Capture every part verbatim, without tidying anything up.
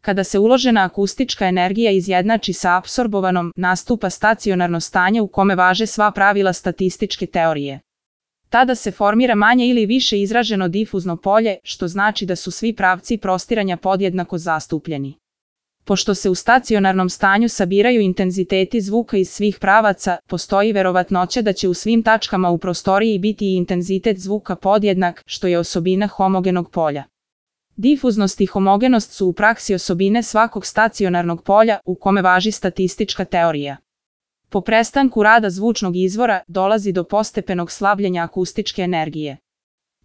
Kada se uložena akustička energija izjednači sa apsorbovanom, nastupa stacionarno stanje u kome važe sva pravila statističke teorije. Tada se formira manje ili više izraženo difuzno polje, što znači da su svi pravci prostiranja podjednako zastupljeni. Pošto se u stacionarnom stanju sabiraju intenziteti zvuka iz svih pravaca, postoji verovatnoća da će u svim tačkama u prostoriji biti i intenzitet zvuka podjednak, što je osobina homogenog polja. Difuznost i homogenost su u praksi osobine svakog stacionarnog polja u kome važi statistička teorija. Po prestanku rada zvučnog izvora dolazi do postepenog slabljenja akustičke energije.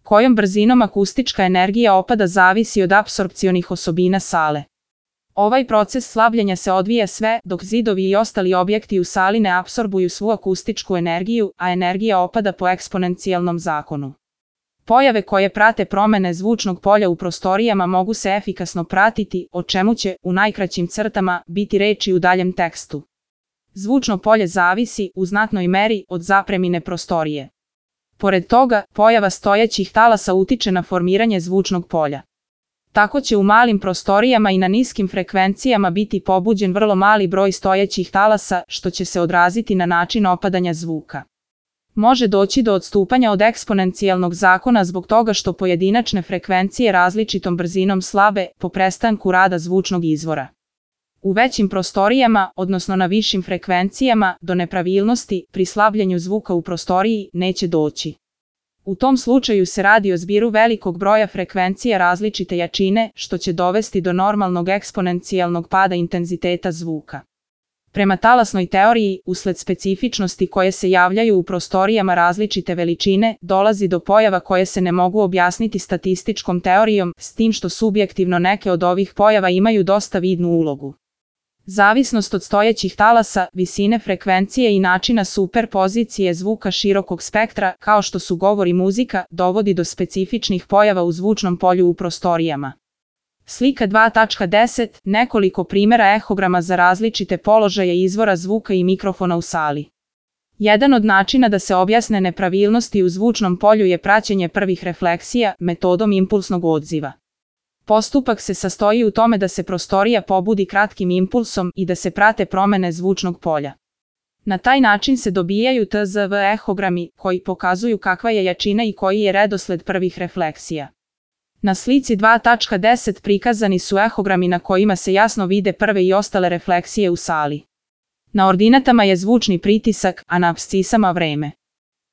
Kojom brzinom akustička energija opada zavisi od apsorpcionih osobina sale. Ovaj proces slabljenja se odvija sve dok zidovi i ostali objekti u sali ne apsorbuju svu akustičku energiju, a energija opada po eksponencijalnom zakonu. Pojave koje prate promene zvučnog polja u prostorijama mogu se efikasno pratiti, o čemu će, u najkraćim crtama, biti reči u daljem tekstu. Zvučno polje zavisi, u znatnoj meri, od zapremine prostorije. Pored toga, pojava stojećih talasa utiče na formiranje zvučnog polja. Tako će u malim prostorijama i na niskim frekvencijama biti pobuđen vrlo mali broj stojećih talasa, što će se odraziti na način opadanja zvuka. Može doći do odstupanja od eksponencijalnog zakona zbog toga što pojedinačne frekvencije različitom brzinom slabe po prestanku rada zvučnog izvora. U većim prostorijama, odnosno na višim frekvencijama, do nepravilnosti pri slabljenju zvuka u prostoriji neće doći. U tom slučaju se radi o zbiru velikog broja frekvencija različite jačine, što će dovesti do normalnog eksponencijalnog pada intenziteta zvuka. Prema talasnoj teoriji, usled specifičnosti koje se javljaju u prostorijama različite veličine, dolazi do pojava koje se ne mogu objasniti statističkom teorijom, s tim što subjektivno neke od ovih pojava imaju dosta vidnu ulogu. Zavisnost od stojećih talasa, visine frekvencije i načina superpozicije zvuka širokog spektra, kao što su govor i muzika, dovodi do specifičnih pojava u zvučnom polju u prostorijama. Slika dva tačka deset. Nekoliko primjera ehograma za različite položaje izvora zvuka i mikrofona u sali. Jedan od načina da se objasne nepravilnosti u zvučnom polju je praćenje prvih refleksija metodom impulsnog odziva. Postupak se sastoji u tome da se prostorija pobudi kratkim impulsom i da se prate promene zvučnog polja. Na taj način se dobijaju T Z V ehogrami, koji pokazuju kakva je jačina i koji je redosled prvih refleksija. Na slici dva tačka deset prikazani su ehogrami na kojima se jasno vide prve i ostale refleksije u sali. Na ordinatama je zvučni pritisak, a na apscisama vreme.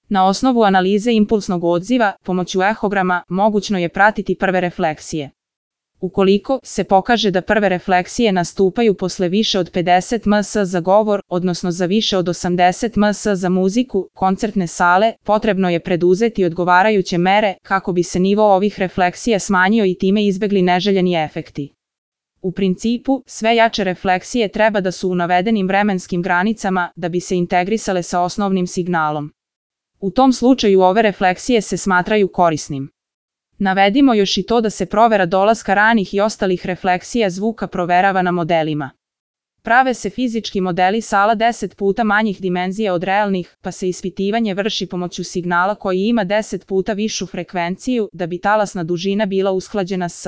Na osnovu analize impulsnog odziva, pomoću ehograma, mogućno je pratiti prve refleksije. Ukoliko se pokaže da prve refleksije nastupaju posle više od pedeset ms za govor, odnosno za više od osamdeset ms za muziku, koncertne sale, potrebno je preduzeti odgovarajuće mere kako bi se nivo ovih refleksija smanjio i time izbegli neželjeni efekti. U principu, sve jače refleksije treba da su u navedenim vremenskim granicama da bi se integrisale sa osnovnim signalom. U tom slučaju ove refleksije se smatraju korisnim. Navedimo još i to da se provera dolaska ranih i ostalih refleksija zvuka proverava na modelima. Prave se fizički modeli sala deset puta manjih dimenzija od realnih, pa se ispitivanje vrši pomoću signala koji ima deset puta višu frekvenciju da bi talasna dužina bila usklađena s